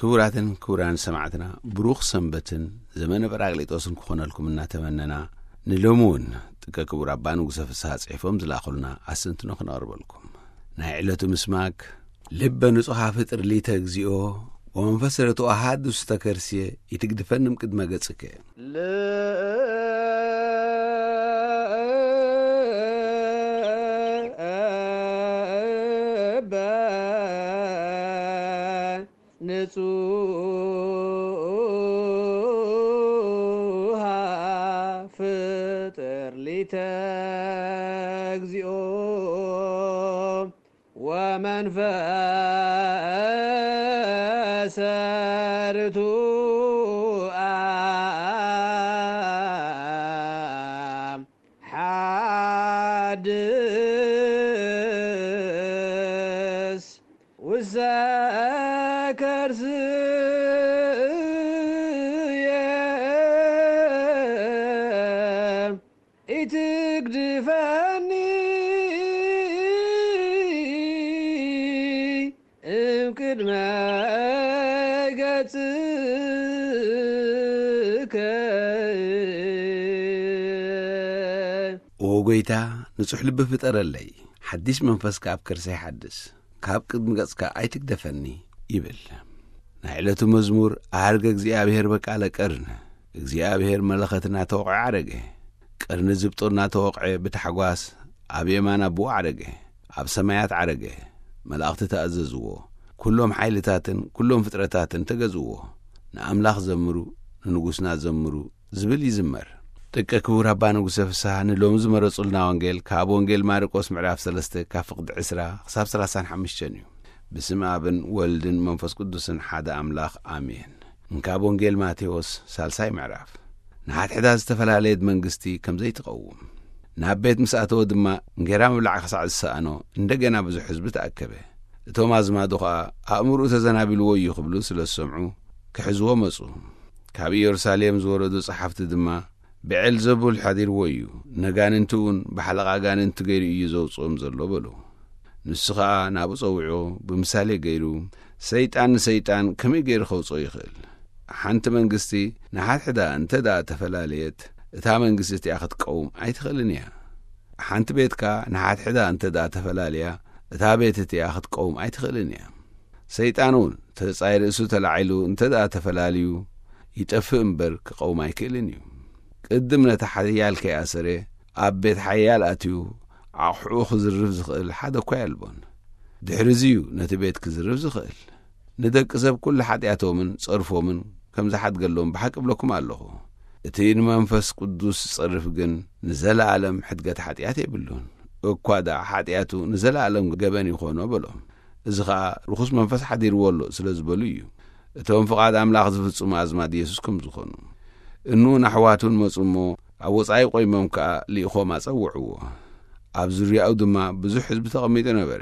ክቡራትን ክቡራን ሰማዕትና፣ ብሩኽ ሰንበትን ዘመነ ጳራቅሊጦስን ክኾነልኩም እናተመነና፣ ንሎሚ እውን ጥቀ ክቡር ኣባ ንጉሰ ፍስሓ ጽሒፎም ዝላኹልና ኣስተንትኖ ክነቕርበልኩም። ናይ ዕለቱ ምስማክ፣ ልበ ንጹሓ ፍጥር ሊተ እግዚኦ፣ ወመንፈስ ርቱዕ ኣሃድስ ውስተ ከርስየ፣ ኢትግድፈኒ እምቅድመ ገጽከ። ልበ ንጹሃ ፍጥር ሊተ እግዚኦ፣ ወመንፈሰ ርቱዐ ሓድስ ውስተ ከርስየ፣ ኢትግድፈኒ እምቅድመ ገጽከ። ኦ ጎይታ፣ ንጹሕ ልቢ ፍጠረለይ፣ ሓዲስ መንፈስ ከኣ ኣብ ከርሰይ ሓድስ፣ ካብ ቅድሚ ገጽካ ኣይትግደፈኒ ይብል። ናይ ዕለቱ መዝሙር፣ ኣርገ እግዚኣብሔር በቃለ ቀርን፣ እግዚኣብሔር መለኸት እናተወቕዐ ዓረገ። ቀርኒ ዝብጦ እናተወቕዐ ብታሕጓስ ኣብ የማን ኣቦኡ ዓረገ። ኣብ ሰማያት ዓረገ። መላእኽቲ ተኣዘዝዎ። ኩሎም ሓይልታትን ኩሎም ፍጥረታትን ተገዝዎ። ንኣምላኽ ዘምሩ፣ ንንጉስና ዘምሩ ዝብል ይዝመር። ጥቀ ክቡር ኣባ ንጉሰ ፍስሃ ንሎሚ ዝመረጹልና ወንጌል ካብ ወንጌል ማርቆስ ምዕራፍ ሰለስተ ካብ ፍቕዲ ዕስራ ክሳብ ሰላሳን ሓሙሽተን እዩ። ብስም ኣብን ወልድን መንፈስ ቅዱስን ሓደ ኣምላኽ ኣሜን። እንካብ ወንጌል ማቴዎስ ሳልሳይ ምዕራፍ። ንሓድሕዳ ዝተፈላለየት መንግስቲ ከም ዘይትቐውም፣ ናብ ቤት ምስ ኣተወ ድማ እንጌራ ምብላዕ ክሳዕ ዝሰኣኖ እንደገና ብዙሕ ህዝቢ ተኣከበ። እቶም ኣዝማዱ ኸኣ ኣእምርኡ ተዘናቢልዎ እዩ ክብሉ ስለ ዝሰምዑ ክሕዝዎ መጹ። ካብ ኢየሩሳሌም ዝወረዱ ጸሓፍቲ ድማ ብዔልዘቡል ሓዲርዎ እዩ፣ ነጋንንቲ እውን ብሓለቓ ኣጋንንቲ ገይሩ እዩ ዘውጽኦም ዘሎ በሉ። ንሱ ኸኣ ናብኡ ጸዊዑ ብምሳሌ ገይሩ፣ ሰይጣን ንሰይጣን ከመይ ገይሩ ከውጽኦ ይኽእል? ሓንቲ መንግስቲ ንሓድሕዳ እንተ ደኣ ተፈላለየት፣ እታ መንግስቲ እቲኣ ክትቀውም ኣይትኽእልን እያ። ሓንቲ ቤት ከኣ ንሓድሕዳ እንተ ደኣ ተፈላለያ፣ እታ ቤት እቲኣ ክትቀውም ኣይትኽእልን እያ። ሰይጣን እውን ተጻይ ርእሱ ተላዒሉ እንተ ደኣ ተፈላልዩ፣ ይጠፍእ እምበር ክቐውም ኣይክእልን እዩ። ቅድም ነቲ ሓያል ከይኣሰረ፣ ኣብ ቤት ሓያል ኣትዩ ኣቑሑኡ ክዝርፍ ዝኽእል ሓደ እኳ የልቦን። ድሕሪ እዚ እዩ ነቲ ቤት ክዝርፍ ዝኽእል። ንደቂ ሰብ ኩሉ ሓጢኣቶምን ጸርፎምን ከም ዝሓድገሎም ብሓቂ እብለኩም ኣለኹ። እቲ ንመንፈስ ቅዱስ ዝጸርፍ ግን ንዘለኣለም ሕድገት ሓጢኣት የብሉን። እኳ ደኣ ሓጢኣቱ ንዘለኣለም ገበን ይኾኖ በሎም። እዚ ኸኣ ርኹስ መንፈስ ሓዲርዎ ኣሎ ስለ ዝበሉ እዩ። እቶም ፍቓድ ኣምላኽ ዝፍጽሙ ኣዝማድ የሱስ ከም ዝኾኑ። እኑ ኣሕዋቱን መጹ እሞ ኣብ ወጻኢ ቆይሞም ከኣ ልኢኾም ኣጸውዕዎ። ኣብ ዙርያኡ ድማ ብዙሕ ህዝቢ ተቐሚጡ ነበረ።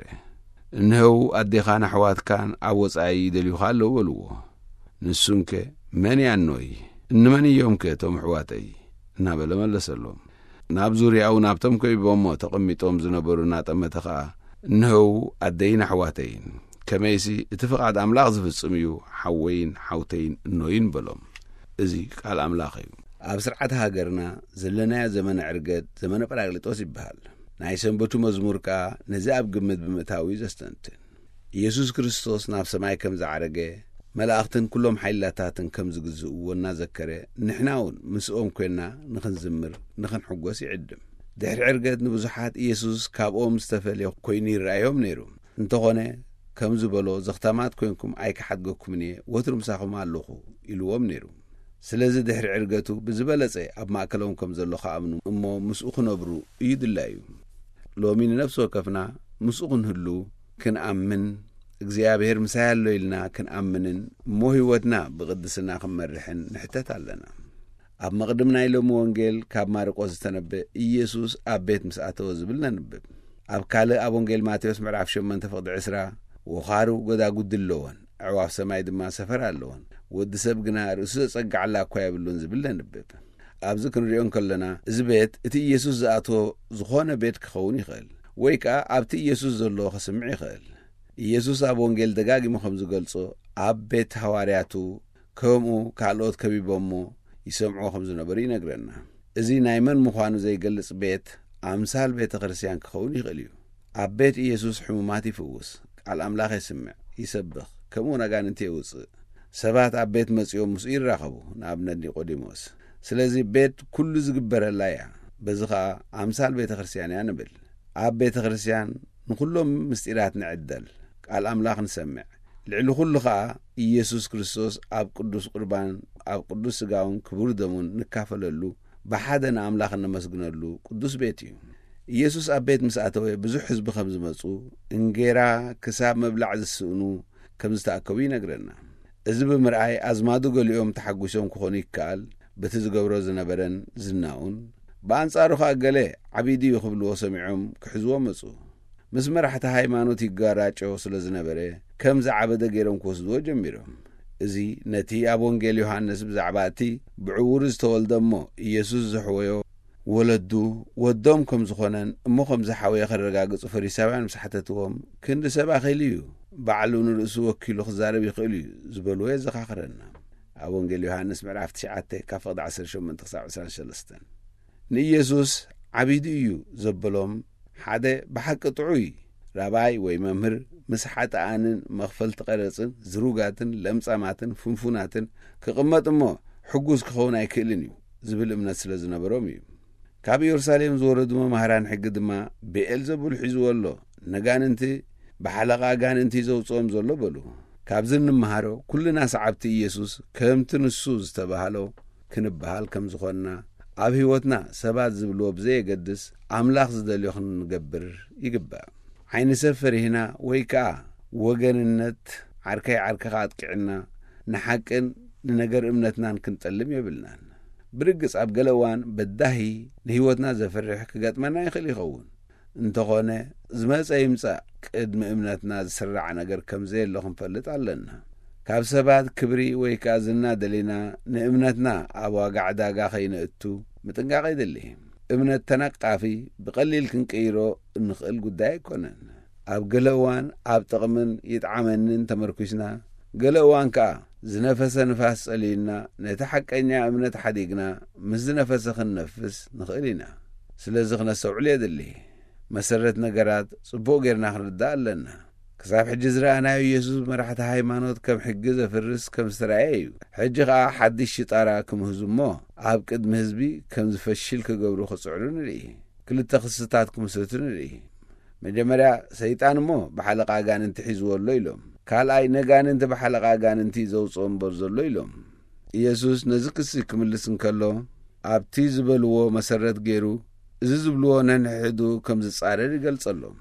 እንሆው ኣዴኻን ኣሕዋትካን ኣብ ወጻኢ ይደልዩኻ ኣለዉ በልዎ። ንሱንከ መን እያ እኖይ? እንመን እዮም ከ እቶም ኣሕዋተይ? እናበለ መለሰሎም። ናብ ዙርያኡ ናብቶም ከቢቦሞ ተቐሚጦም ዝነበሩ እናጠመተ ኸኣ፣ እንሆው ኣደይን ኣሕዋተይን፣ ከመይሲ እቲ ፍቓድ ኣምላኽ ዝፍጽም እዩ፣ ሓወይን ሓውተይን እኖይን በሎም። እዚ ቃል ኣምላኽ እዩ። ኣብ ስርዓት ሃገርና ዘለናዮ ዘመነ ዕርገት ዘመነ ጳራቅሊጦስ ይበሃል። ናይ ሰንበቱ መዝሙር ከኣ ነዚ ኣብ ግምት ብምእታው እዩ ዘስተንትን። ኢየሱስ ክርስቶስ ናብ ሰማይ ከም ዝዓረገ፣ መላእኽትን ኩሎም ሓይላታትን ከም ዝግዝእዎ እናዘከረ፣ ንሕና እውን ምስኦም ኮይንና ንኽንዝምር፣ ንኽንሕጎስ ይዕድም። ድሕሪ ዕርገት ንብዙሓት ኢየሱስ ካብኦም ዝተፈልየ ኮይኑ ይረኣዮም ነይሩ። እንተኾነ፣ ከም ዝበሎ፣ "ዘኽታማት ኮይንኩም ኣይክሓድገኩምን እየ፣ ወትሩ ምሳኹም ኣለኹ" ኢልዎም ነይሩ። ስለዚ ድሕሪ ዕርገቱ ብዝበለጸ ኣብ ማእከሎም ከም ዘሎ ክኣምኑ እሞ ምስኡ ክነብሩ እዩ ድላዩ። ሎሚ ንነፍሲ ወከፍና ምስኡ ክንህሉ፣ ክንኣምን፣ እግዚኣብሔር ምሳይ ኣሎ ኢልና ክንኣምንን እሞ ህይወትና ብቕድስና ክንመርሕን ንሕተት ኣለና። ኣብ መቕድም ናይ ሎሚ ወንጌል ካብ ማርቆስ ዝተነበ ኢየሱስ ኣብ ቤት ምስ ኣተወ ዝብል ነንብብ። ኣብ ካልእ ኣብ ወንጌል ማቴዎስ ምዕራፍ ሸሞንተ ፍቕዲ ዕስራ፣ "ወኻሩ ጎዳጉዲ ኣለወን፣ ኣዕዋፍ ሰማይ ድማ ሰፈር ኣለወን፣ ወዲ ሰብ ግና ርእሱ ዘጸግዓላ እኳ የብሉን" ዝብል ነንብብ። ኣብዚ ክንሪኦ እንከለና፣ እዚ ቤት እቲ ኢየሱስ ዝኣትዎ ዝኾነ ቤት ክኸውን ይኽእል፣ ወይ ከኣ ኣብቲ ኢየሱስ ዘሎ ክስምዕ ይኽእል። ኢየሱስ ኣብ ወንጌል ደጋጊሙ ከም ዝገልጾ፣ ኣብ ቤት ሃዋርያቱ ከምኡ ካልኦት ከቢቦሞ ይሰምዕዎ ከም ዝነበሩ ይነግረና። እዚ ናይ መን ምዃኑ ዘይገልጽ ቤት ኣምሳል ቤተ ክርስቲያን ክኸውን ይኽእል እዩ። ኣብ ቤት ኢየሱስ ሕሙማት ይፍውስ፣ ቃል ኣምላኽ የስምዕ፣ ይሰብኽ፣ ከምኡ እውን ኣጋንንቲ የውጽእ። ሰባት ኣብ ቤት መጺኦም ምስኡ ይራኸቡ፣ ንኣብነት ኒቆዲሞስ። ስለዚ ቤት ኩሉ ዝግበረላ እያ። በዚ ኸኣ ኣምሳል ቤተ ክርስቲያን እያ ንብል። ኣብ ቤተ ክርስቲያን ንኹሎም ምስጢራት ንዕደል፣ ቃል ኣምላኽ ንሰምዕ። ልዕሊ ኩሉ ኸኣ ኢየሱስ ክርስቶስ ኣብ ቅዱስ ቁርባን ኣብ ቅዱስ ስጋውን ክቡር ደሙን ንካፈለሉ፣ ብሓደ ንኣምላኽ እነመስግነሉ ቅዱስ ቤት እዩ። ኢየሱስ ኣብ ቤት ምስ ኣተወ ብዙሕ ህዝቢ ከም ዝመጹ፣ እንጌራ ክሳብ ምብላዕ ዝስእኑ ከም ዝተኣከቡ ይነግረና። እዚ ብምርኣይ ኣዝማዱ ገሊኦም ተሓጒሶም ክኾኑ ይከኣል፣ በቲ ዝገብሮ ዝነበረን ዝናኡን። ብኣንጻሩ ኸኣ ገለ ዓቢዱ እዩ ክብልዎ ሰሚዖም ክሕዝዎ መጹ። ምስ መራሕቲ ሃይማኖት ይጋራጮ ስለ ዝነበረ ከም ዝዓበደ ገይሮም ክወስድዎ ጀሚሮም። እዚ ነቲ ኣብ ወንጌል ዮሃንስ ብዛዕባ እቲ ብዕውሩ ዝተወልደ እሞ ኢየሱስ ዘሕወዮ ወለዱ ወዶም ከም ዝኾነን እሞ ከም ዝሓወየ ከረጋግጹ ፈሪሳውያን ምስ ሓተትዎም፣ ክንዲ ሰብ ኣኺሉ እዩ፣ ባዕሉ ንርእሱ ወኪሉ ክዛረብ ይኽእል እዩ ዝበልዎ የዘኻኽረና። ኣብ ወንጌል ዮሃንስ ምዕራፍ ትሽዓተ ካብ ፍቕዲ ዓሰርተ ሸሞንተ ክሳብ ዕስራን ሰለስተን። ንኢየሱስ ዓቢዱ እዩ ዘበሎም ሓደ ብሓቂ ጥዑይ ራባይ ወይ መምህር ምስ ሓጥኣንን መኽፈልቲ ቀረጽን ዝሩጋትን ለምጻማትን ፍንፉናትን ክቕመጥ እሞ ሕጉስ ክኸውን ኣይክእልን እዩ ዝብል እምነት ስለ ዝነበሮም እዩ። ካብ ኢየሩሳሌም ዝወረዱ መማህራን ሕጊ ድማ ብኤልዘቡል ሒዝዎ ኣሎ፣ ነጋንንቲ ብሓለቓ ኣጋንንቲ ዘውጽኦም ዘሎ በሉ። ካብዚ እንመሃሮ ኩልና ሰዓብቲ ኢየሱስ ከምቲ ንሱ ዝተባህሎ ክንበሃል ከም ዝኾንና፣ ኣብ ህይወትና ሰባት ዝብልዎ ብዘየገድስ ኣምላኽ ዝደልዮ ክንገብር ይግባእ። ዓይኒ ሰብ ፈሪህና ወይ ከኣ ወገንነት ዓርከይ ዓርከኻ ኣጥቂዕና ንሓቅን ንነገር እምነትናን ክንጠልም የብልናን። ብርግጽ ኣብ ገለ እዋን በዳሂ ንህይወትና ዘፍርሕ ክገጥመና ይኽእል ይኸውን። እንተኾነ ዝመጸ ይምጻእ ቅድሚ እምነትና ዝስራዕ ነገር ከም ዘየሎ ክንፈልጥ ኣለና። ካብ ሰባት ክብሪ ወይ ከኣ ዝና ደሊና ንእምነትና ኣብ ዋጋ ዕዳጋ ከይነእቱ ምጥንቃቕ የድሊ። እምነት ተነቃፊ ብቐሊል ክንቅይሮ እንኽእል ጉዳይ ኣይኮነን። ኣብ ገለ እዋን ኣብ ጥቕምን ይጥዓመንን ተመርኲስና፣ ገለ እዋን ከኣ ዝነፈሰ ንፋስ ጸሊዩና ነቲ ሓቀኛ እምነት ሓዲግና ምስ ዝነፈሰ ክንነፍስ ንኽእል ኢና። ስለዚ ክነስተውዕል የድሊ። መሰረት ነገራት ጽቡቕ ጌርና ክንርዳእ ኣለና። ክሳብ ሕጂ ዝረኣናዮ ኢየሱስ መራሕቲ ሃይማኖት ከም ሕጊ ዘፍርስ ከም ዝተራእየ እዩ። ሕጂ ኸኣ ሓድሽ ሽጣራ ክምህዙ እሞ ኣብ ቅድሚ ህዝቢ ከም ዝፈሽል ክገብሩ ክጽዕሩ ንርኢ። ክልተ ክስታት ክምስርቱ ንርኢ። መጀመርያ ሰይጣን እሞ ብሓለቓ ኣጋንንቲ ሒዝዎ ኣሎ ኢሎም። ካልኣይ ነጋንንቲ ብሓለቓ ኣጋንንቲ ዘውፅኦ እምበር ዘሎ ኢሎም። ኢየሱስ ነዚ ክሲ ክምልስ እንከሎ ኣብቲ ዝበልዎ መሰረት ገይሩ እዚ ዝብልዎ ነንሕዱ ከም ዝጻረር ይገልጸሎም።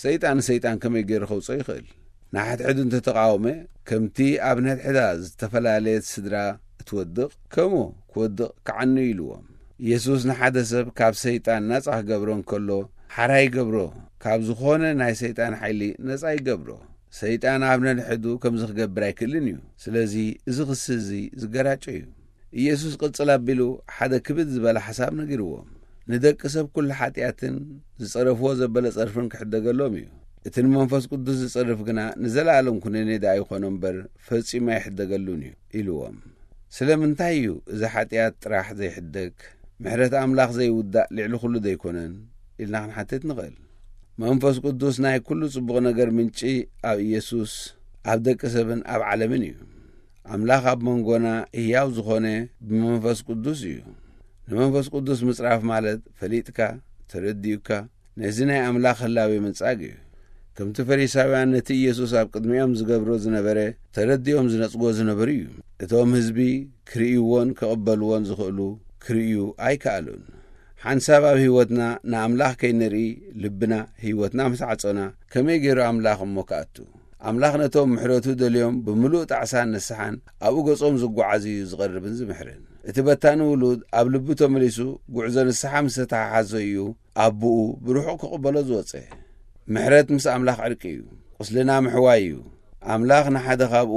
ሰይጣን ንሰይጣን ከመይ ገይሩ ከውፅኦ ይኽእል? ንሓድሕዱ እንተተቃወመ ከምቲ ኣብ ነድሕዳ ዝተፈላለየት ስድራ እትወድቕ ከምኡ ክወድቕ ከዓኑ ኢልዎም። ኢየሱስ ንሓደ ሰብ ካብ ሰይጣን ናጻ ክገብሮ እንከሎ ሓራ ይገብሮ፣ ካብ ዝኾነ ናይ ሰይጣን ሓይሊ ነጻ ይገብሮ። ሰይጣን ኣብ ነንሕዱ ከምዚ ክገብር ኣይክእልን እዩ። ስለዚ እዚ ክሲ እዚ ዝገራጮ እዩ። ኢየሱስ ቅጽል ኣቢሉ ሓደ ክብድ ዝበለ ሓሳብ ነጊርዎም። ንደቂ ሰብ ኩሉ ሓጢኣትን ዝጸረፍዎ ዘበለ ጸርፍን ክሕደገሎም እዩ። እቲ ንመንፈስ ቅዱስ ዝጸርፍ ግና ንዘለኣለም ኩነኔ ደኣ ይኾኖ እምበር ፈጺሙ ኣይሕደገሉን እዩ ኢልዎም። ስለምንታይ እዩ እዚ ሓጢኣት ጥራሕ ዘይሕደግ? ምሕረት ኣምላኽ ዘይውዳእ ልዕሊ ኩሉ ደይኮነን? ኢልና ክንሓትት ንኽእል። መንፈስ ቅዱስ ናይ ኩሉ ጽቡቕ ነገር ምንጪ ኣብ ኢየሱስ፣ ኣብ ደቂ ሰብን ኣብ ዓለምን እዩ። ኣምላኽ ኣብ መንጎና ህያው ዝኾነ ብመንፈስ ቅዱስ እዩ። ንመንፈስ ቅዱስ ምጽራፍ ማለት ፈሊጥካ፣ ተረዲኡካ፣ ነዚ ናይ ኣምላኽ ህላዌ ምንጻግ እዩ። ከምቲ ፈሪሳውያን ነቲ ኢየሱስ ኣብ ቅድሚኦም ዝገብሮ ዝነበረ ተረዲኦም ዝነጽጎ ዝነበሩ እዩ። እቶም ህዝቢ ክርእይዎን ክቕበልዎን ዝኽእሉ ክርእዩ ኣይከኣሉን። ሓንሳብ ኣብ ህይወትና ንኣምላኽ ከይንርኢ ልብና ህይወትና ምስ ዓጾና ከመይ ገይሩ ኣምላኽ እሞ ክኣቱ? ኣምላኽ ነቶም ምሕረቱ ደልዮም ብምሉእ ጣዕሳን ንስሓን ኣብኡ ገጾም ዝጓዓዝ እዩ ዝቐርብን ዝምሕርን። እቲ በታኒ ውሉድ ኣብ ልቡ ተመሊሱ ጉዕዞ ንስሓ ምስ ተተሓሓዞ እዩ ኣቦኡ ብርሑቕ ክቕበሎ ዝወጸ። ምሕረት ምስ ኣምላኽ ዕርቂ እዩ። ቁስልና ምሕዋይ እዩ። ኣምላኽ ንሓደ ካብኡ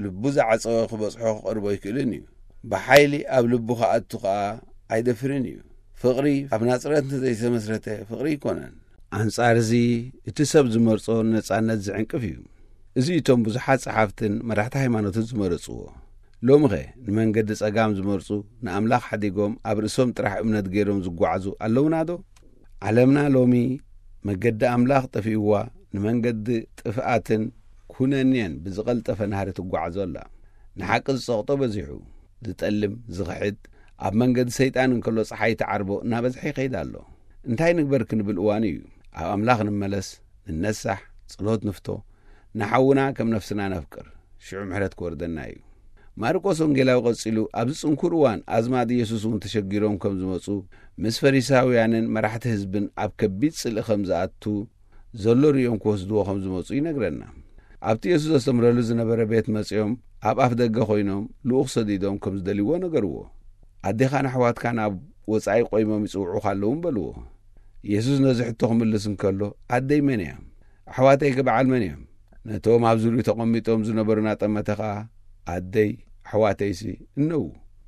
ልቡ ዝዓጸወ ክበጽሖ ክቐርቦ ኣይክእልን እዩ። ብሓይሊ ኣብ ልቡ ክኣቱ ኸኣ ኣይደፍርን እዩ። ፍቕሪ ኣብ ናጽረት እንተዘይተመስረተ ፍቕሪ ኣይኮነን። ኣንጻር እዚ እቲ ሰብ ዝመርጾ ነጻነት ዝዕንቅፍ እዩ። እዚ እቶም ብዙሓት ጸሓፍትን መራሕቲ ሃይማኖትን ዝመረጽዎ። ሎምኸ ንመንገዲ ጸጋም ዝመርጹ፣ ንኣምላኽ ሓዲጎም ኣብ ርእሶም ጥራሕ እምነት ገይሮም ዝጓዓዙ ኣለውናዶ? ዓለምና ሎሚ መገዲ ኣምላኽ ጠፊእዋ፣ ንመንገዲ ጥፍኣትን ኩነኔን ብዝቐልጠፈ ናህሪ ትጓዓዞ ኣላ። ንሓቂ ዝጸቕጦ በዚሑ፣ ዝጠልም፣ ዝኽሕድ፣ ኣብ መንገዲ ሰይጣን እንከሎ ጸሓይ ትዓርቦ እናበዝሐ ይኸይድ ኣሎ። እንታይ ንግበር ክንብል እዋኑ እዩ። ኣብ ኣምላኽ ንመለስ፣ ንነሳሕ፣ ጸሎት ንፍቶ፣ ንሓውና ከም ነፍስና ነፍቅር፣ ሽዑ ምሕረት ክወርደና እዩ። ማርቆስ ወንጌላዊ ቀጺሉ፣ ኣብዚ ጽንኩር እዋን ኣዝማድ ኢየሱስ እውን ተሸጊሮም ከም ዝመጹ፣ ምስ ፈሪሳውያንን መራሕቲ ህዝብን ኣብ ከቢድ ጽልኢ ከም ዝኣቱ ዘሎ ርእዮም ክወስድዎ ከም ዝመጹ ይነግረና። ኣብቲ ኢየሱስ ዘስተምረሉ ዝነበረ ቤት መጺኦም፣ ኣብ ኣፍ ደገ ኮይኖም ልኡኽ ሰዲዶም ከም ዝደልይዎ ነገርዎ። ኣዴኻን ኣሕዋትካን ኣብ ወጻኢ ቆይሞም ይጽውዑኻ ኣለዉ በልዎ። ኢየሱስ ነዚ ሕቶ ክምልስ እንከሎ፣ ኣደይ መን እያ? ኣሕዋተይከ በዓል መን እዮም? ነቶም ኣብ ዙርዩ ተቐሚጦም ዝነበሩ ናጠመተ ኸኣ፣ ኣደይ ኣሕዋተይሲ እነዉ።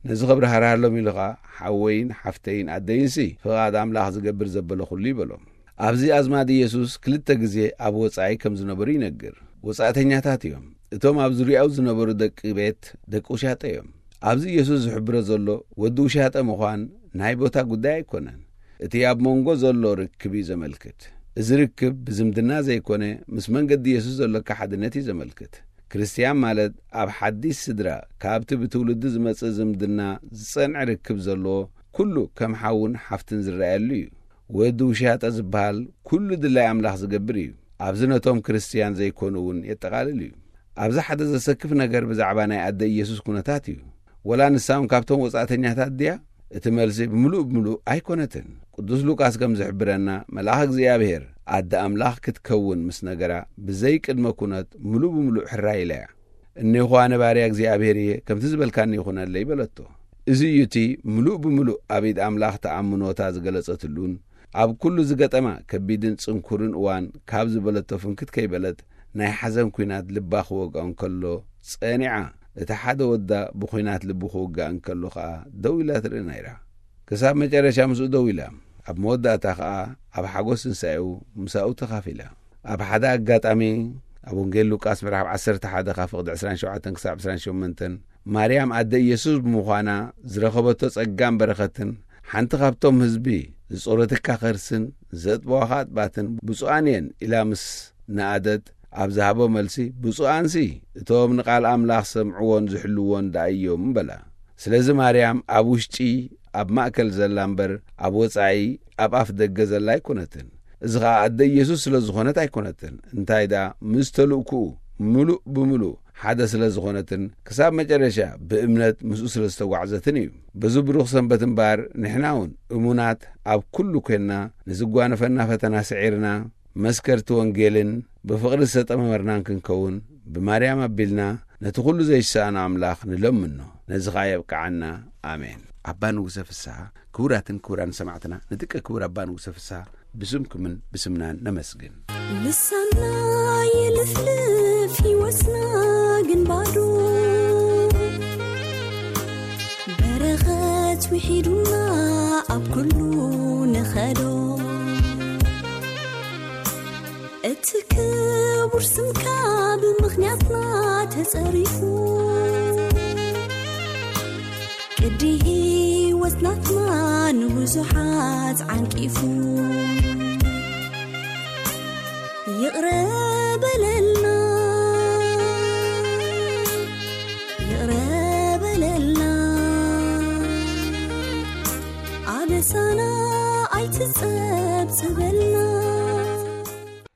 ነዚ ኽብርሃርሃሎም ኢሉ ኸኣ፣ ሓወይን ሓፍተይን ኣደይንሲ ፍቓድ ኣምላኽ ዝገብር ዘበለ ኹሉ ይበሎም። ኣብዚ ኣዝማድ ኢየሱስ ክልተ ግዜ ኣብ ወጻኢ ከም ዝነበሩ ይነግር። ወጻእተኛታት እዮም። እቶም ኣብ ዙርያኡ ዝነበሩ ደቂ ቤት ደቂ ውሻጠ እዮም። ኣብዚ ኢየሱስ ዝሕብሮ ዘሎ ወዲ ውሻጠ ምዃን ናይ ቦታ ጉዳይ ኣይኮነን። እቲ ኣብ መንጎ ዘሎ ርክብ እዩ ዘመልክት። እዚ ርክብ ብዝምድና ዘይኮነ፣ ምስ መንገዲ ኢየሱስ ዘሎካ ሓድነት እዩ ዘመልክት። ክርስትያን ማለት ኣብ ሓዲስ ስድራ ካብቲ ብትውልዲ ዝመጽእ ዝምድና ዝጸንዐ ርክብ ዘለዎ፣ ኩሉ ከም ሓውን ሓፍትን ዝረኣየሉ እዩ። ወዲ ውሻጠ ዝበሃል ኩሉ ድላይ ኣምላኽ ዝገብር እዩ። ኣብዚ ነቶም ክርስትያን ዘይኮኑ እውን የጠቓልል እዩ። ኣብዚ ሓደ ዘሰክፍ ነገር ብዛዕባ ናይ ኣደ ኢየሱስ ኩነታት እዩ። ወላ ንሳ እውን ካብቶም ወጻእተኛታት ድያ? እቲ መልሲ ብምሉእ ብምሉእ ኣይኮነትን። ቅዱስ ሉቃስ ከም ዝሕብረና፣ መልኣኽ እግዚኣብሔር ኣደ ኣምላኽ ክትከውን ምስ ነገራ፣ ብዘይ ቅድመ ኩነት ምሉእ ብምሉእ ሕራይ ኢላ እያ። እኔኹ ኣነ ባርያ እግዚኣብሔር እየ፣ ከምቲ ዝበልካኒ ይኹነለይ በለቶ። እዚ እዩ እቲ ምሉእ ብምሉእ ኣብ ኢድ ኣምላኽ ተኣምኖታ ዝገለጸትሉን ኣብ ኩሉ ዝገጠማ ከቢድን ጽንኩርን እዋን ካብ ዝበለቶ ፍንክት ከይበለት ናይ ሓዘን ኲናት ልባ ክወግኦ እንከሎ ጸኒዓ፣ እቲ ሓደ ወዳ ብኲናት ልቡ ክውጋእ እንከሎ ኸኣ ደው ኢላ ትርኢ ነይራ። ክሳብ መጨረሻ ምስኡ ደው ኢላ፣ ኣብ መወዳእታ ኸኣ ኣብ ሓጎስ ትንሳኤኡ ምሳኡ ተኻፊላ። ኣብ ሓደ ኣጋጣሚ ኣብ ወንጌል ሉቃስ ምዕራፍ ዓሰርተ ሓደ ካብ ፍቕዲ ዕስራን ሸውዓተን ክሳብ ዕስራን ሸሞንተን፣ ማርያም ኣደ ኢየሱስ ብምዃና ዝረኸበቶ ጸጋን በረኸትን፣ ሓንቲ ካብቶም ህዝቢ ዝጾረትካ ከርስን ዘጥበዋኻ ኣጥባትን ብፁዓን እየን ኢላ ምስ ነኣደት፣ ኣብ ዝሃቦ መልሲ፣ ብፁዓንሲ እቶም ንቓል ኣምላኽ ዝሰምዕዎን ዝሕልዎን ደኣ እዮም በላ። ስለዚ ማርያም ኣብ ውሽጢ ኣብ ማእከል ዘላ እምበር፣ ኣብ ወጻኢ ኣብ ኣፍ ደገ ዘላ ኣይኮነትን። እዚ ኸኣ ኣደ ኢየሱስ ስለ ዝኾነት ኣይኮነትን። እንታይ ደኣ፣ ምስ ተልእኩኡ ምሉእ ብምሉእ ሓደ ስለ ዝኾነትን፣ ክሳብ መጨረሻ ብእምነት ምስኡ ስለ ዝተጓዕዘትን እዩ። በዚ ብሩኽ ሰንበት እምበኣር፣ ንሕና እውን እሙናት ኣብ ኩሉ ኴንና፣ ንዝጓነፈና ፈተና ስዒርና፣ መስከርቲ ወንጌልን ብፍቕሪ ዝተጠመርናን ክንከውን፣ ብማርያም ኣቢልና ነቲ ኩሉ ዘይሰኣኖ ኣምላኽ ንለምኖ። ነዚ ኸኣ የብቅዓና። ኣሜን። ኣባ ንጉሰ ፍስሓ፣ ክቡራትን ክቡራን ሰማዕትና፣ ንድቂ ክቡር ኣባ ንጉሰ ፍስሓ ብስምኩምን ብስምናን ነመስግን። ልሳና ይልፍልፍ ይወስና ግን ባዶ፣ በረኸት ውሒዱና ኣብ ኩሉ ንኸዶ። እቲ ክቡር ስምካ ብምኽንያትና ተጸሪፉ፣ ቅዲ ህይወት ናትና ንብዙሓት ዓንቂፉ። ይቕረ በለልና፣ ይቕረ በለልና፣ ኣበሳና ኣይትጸብጽበልና።